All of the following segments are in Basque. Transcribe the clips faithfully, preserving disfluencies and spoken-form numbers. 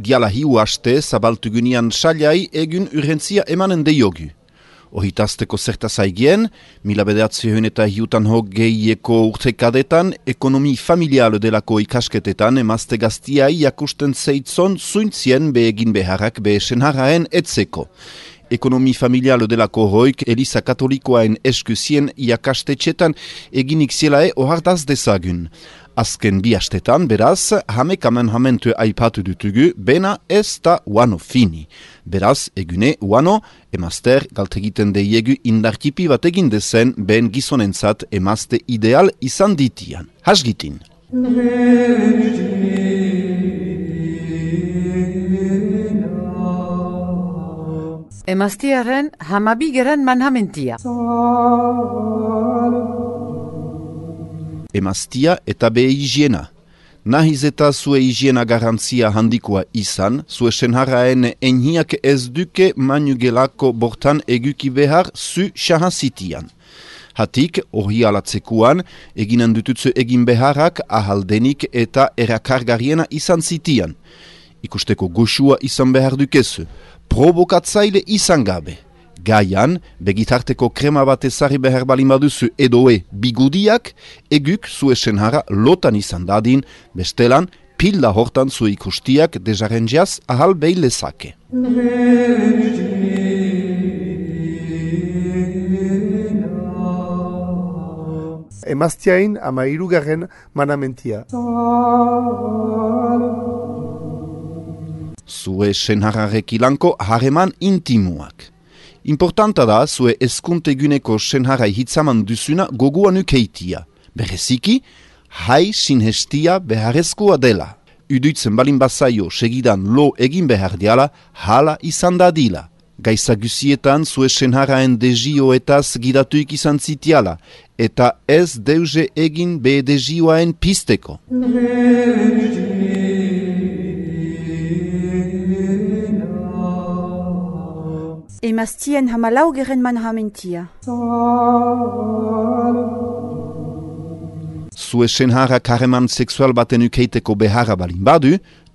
diala hiu haste zabaltugunian salai egun urrentzia emanen deiogu. Ohitazteko zertaz aigien, mila bederatziehun eta hiutan hogeieko urtekadetan, ekonomi familial delako ikasketetan emazte gaztiai jakusten zeitzon zuintzien behegin beharrak behesen harraen etzeko. Ekonomi familial delako hoik Eliza Katolikoaen eskuzien jakastetxetan eginik zielae ohardaz dezagun. Azken bi hastetan, beraz, hamek amenhamentu aipatu dutugu, bena ez da uano fini. Beraz, egune uano, emazter galtegiten deiegu indartipi bat egin dezen, ben gizonentzat emazte ideal izan ditian. Hasgitin. Emaztiaren hamabigeren manhamentia. Emaztia eta be higiena. Nahiz eta zue higiena garantzia handikoa izan, zue senharraen enhiak ez duke manugelako bortan eguki behar zu xahazitian. Hatik, hori alatzekuan, eginen dututzu egin beharrak ahaldenik eta erakargarriena izan zitian. Ikusteko goxua izan behar dukezu, provokatzaile izan gabe. Gaian, begitarteko krema bat ezari behar balin baduzu edoe bigudiak, eguk zue senhara lotan izan dadin, bestelan, pila hortan zu ikustiak dejarenjiaz ahal behi lezake. Emaztiain ama hirugarren manamentia. Zue senharrarek ilanko hareman intimuak. Importanta da, zue eskunteguneko senharai hitzaman duzuna goguan ukeitia. Bereziki, hai sinhestia beharrezkoa dela. Uduitzen balin bazaio segidan lo egin behar diala, hala izan dadila. Gaizagusietan zue senharaen dezioetaz gidatuik izan zitiala, eta ez deuze egin be dezioaen pisteko. Emaztien hamalaugeren manhamentia. Zue senhara kareman sexual baten ukeiteko beharra balin badu,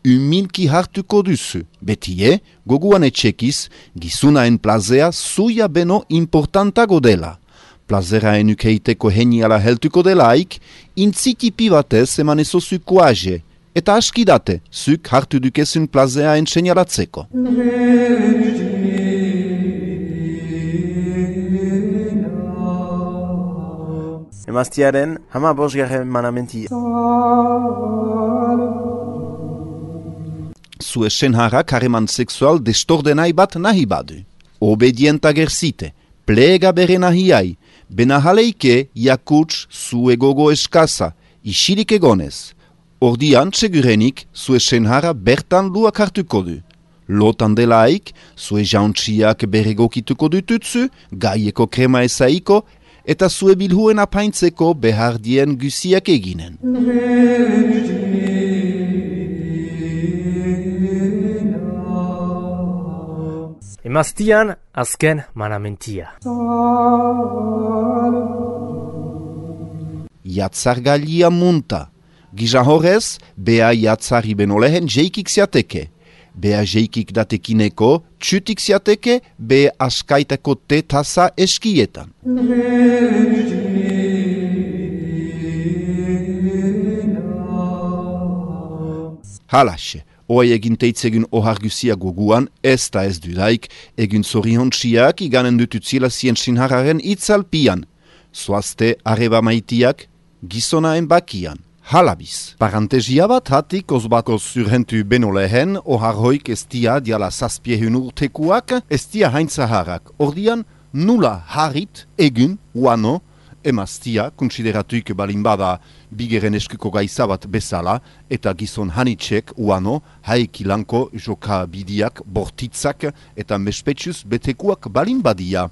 umilki hartuko duzu. Betie, goguan etxekiz, gizunaen plazea zuia beno importantago dela. Plazeraen ukeiteko heniala heltuko delaik, intzitipi batez eman ezozu koaje, eta askidate, zuk hartu dukezun plazeaen senalatzeko. Emaztiaren hama bosgarren manamentia. Zue senhara kareman sexual destordenai bat nahi badu. Obedienta gerzite, plega bere nahiai, benahaleike jakuts zue gogo eskaza, isilik egonez. Ordian segurenik zue senhara bertan luak hartuko du. Lotan delaik, zue jauntxiak beregokituko dututzu, gaieko krema ezaiko, eta zue bilhuen apaintzeko behardien guziak eginen. Emaztian azken manamentia. Jatzargalia munta. Gisa horrez, bea jatzari benolehen jeikik ziateke. Bea jeikik datekineko, txutik ziateke, be askaitako tetasa eskietan. Halaxe, oai egin teitzegun ohargusia goguan, ez da ez dudaik, egin zoriontxiak iganen dututzila zien sinhararen itzalpian. Zoazte areba maitiak, gizonaen bakian. Halabiz. Parantesia bat hatik ozbako zurhentu beno lehen, oharhoik estia diala zazpiehun urtekuak, estia haintzaharrak. Ordian, nula harit, egun, uano, emaztia, konsideratuik balin bada bigeren eskuko gaizabat bezala, eta gizon hanitxek, uano, haikilanko joka bidiak, bortitzak, eta mespetsuz betekuak balin badia.